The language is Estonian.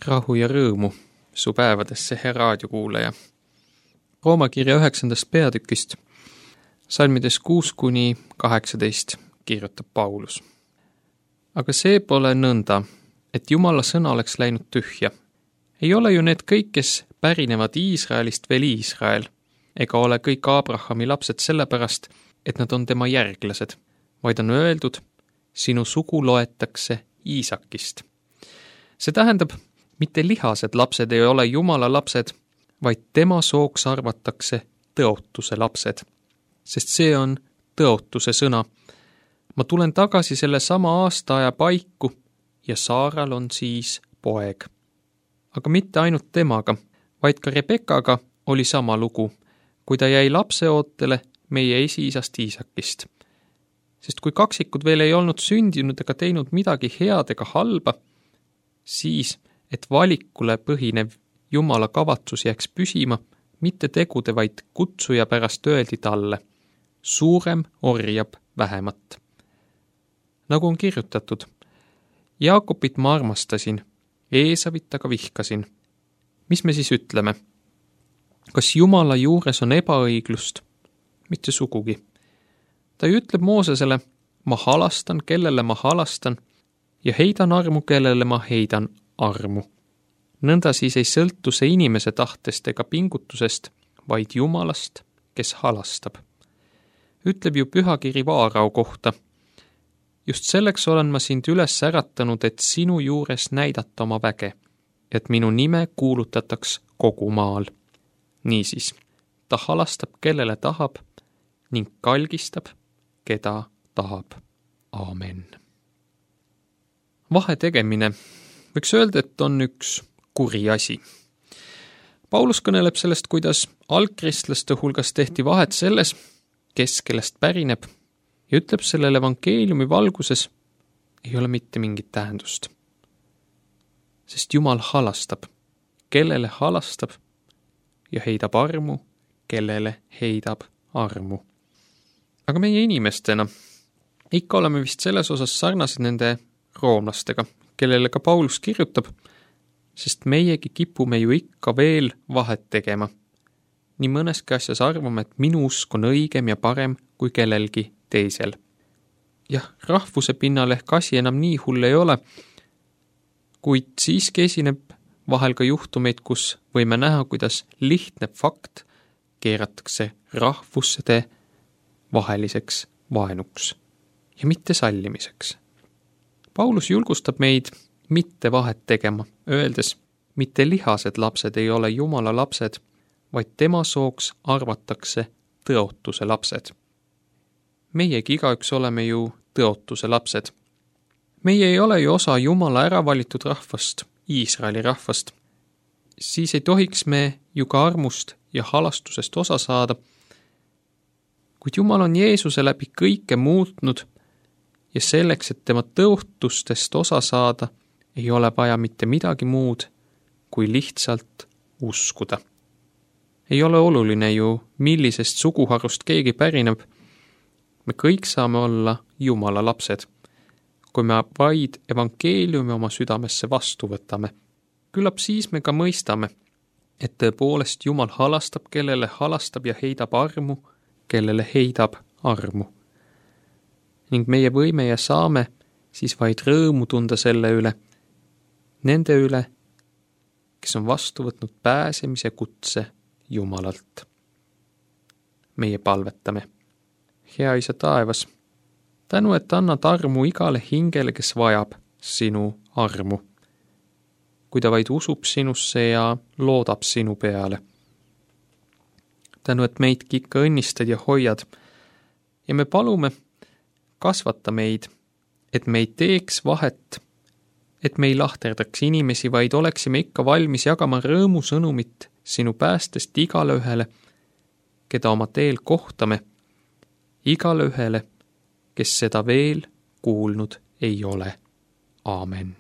Rahu ja rõõmu su päevadesse, hea raadiokuulaja. Rooma kirja 9. peatükist, salmides 6-18 kirjutab Paulus. Aga see pole nõnda, et Jumala sõna oleks läinud tühja. Ei ole ju need kõik, kes pärinevad Iisraelist veel Iisrael, ega ole kõik Abrahami lapsed sellepärast, et nad on tema järglased, vaid on öeldud, sinu sugu loetakse Iisakist. See tähendab, mitte lihased lapsed ei ole Jumala lapsed, vaid tema sooks arvatakse tõotuse lapsed. Sest see on tõotuse sõna. Ma tulen tagasi selle sama aastaaja paiku ja Saaral on siis poeg. Aga mitte ainult temaga, vaid ka Rebekaga oli sama lugu, kui ta jäi lapseootele meie esiisast Iisakist. Sest kui kaksikud veel ei olnud sündinud ega teinud midagi head ega halba, siis, et valikule põhinev Jumala kavatsus jääks püsima, mitte tegude, vaid kutsuja pärast öeldi talle, suurem orjab vähemat. Nagu on kirjutatud, Jaakobit ma armastasin, Eesavit aga vihkasin. Mis me siis ütleme? Kas Jumala juures on ebaõiglust? Mitte sugugi. Ta ütleb Moosesele, ma halastan, kellele ma halastan, ja heidan armu, kellele ma heidan armu. Nõnda siis ei sõltu see inimese tahtest ega pingutusest, vaid Jumalast, kes halastab. Ütleb ju pühakiri Vaarao kohta. Just selleks olen ma sind üles äratanud, et sinu juures näidata oma väge, et minu nime kuulutataks kogu maal. Niisiis, ta halastab, kellele tahab, ning kalgistab, keda tahab. Aamen. Vahe tegemine võiks öelda, et on üks kuri asi. Paulus kõneleb sellest, kuidas algkristlaste hulgas tehti vahet selles, kes kellest pärineb, ja ütleb sellele evangeeliumi valguses ei ole mitte mingit tähendust. Sest Jumal halastab, kellele halastab, ja heidab armu, kellele heidab armu. Aga meie inimestena ikka oleme vist selles osas sarnased nende roomlastega, kellele ka Paulus kirjutab, sest meiegi kipume ju ikka veel vahet tegema. Nii mõneski asjas arvame, et minu usk on õigem ja parem kui kellelgi teisel. Jah, rahvuse pinnal ehk asi enam nii hull ei ole, kuid siiski esineb vahel ka juhtumeid, kus võime näha, kuidas lihtne fakt keeratakse rahvuste vaheliseks vaenuks ja mitte sallimiseks. Paulus julgustab meid mitte vahet tegema, öeldes, mitte lihased lapsed ei ole Jumala lapsed, vaid tema sooks arvatakse tõotuse lapsed. Meiegi igaüks oleme ju tõotuse lapsed. Meie ei ole ju osa Jumala äravalitud rahvast, Iisraeli rahvast. Siis ei tohiks me ju ka armust ja halastusest osa saada, kuid Jumal on Jeesuse läbi kõike muutnud ja selleks, et tema tõotustest osa saada, ei ole vaja mitte midagi muud, kui lihtsalt uskuda. Ei ole oluline ju, millisest suguharust keegi pärineb. Me kõik saame olla Jumala lapsed, kui me vaid evangeeliumi oma südamesse vastu võtame. Küllap siis me ka mõistame, et tõepoolest Jumal halastab, kellele halastab ja heidab armu, kellele heidab armu. Ning meie võime ja saame siis vaid rõõmu tunda selle üle, nende üle, kes on vastu võtnud pääsemise kutse Jumalalt. Meie palvetame. Hea Isa taevas, tänu, et annad armu igale hingele, kes vajab sinu armu, kui ta vaid usub sinusse ja loodab sinu peale. Tänu, et meidki ikka õnnistad ja hoiad ja me palume, kasvata meid, et me ei teeks vahet, et me ei lahterdaks inimesi, vaid oleksime ikka valmis jagama rõõmusõnumit sinu päästest igale ühele, keda oma teel kohtame, igale ühele, kes seda veel kuulnud ei ole. Aamen.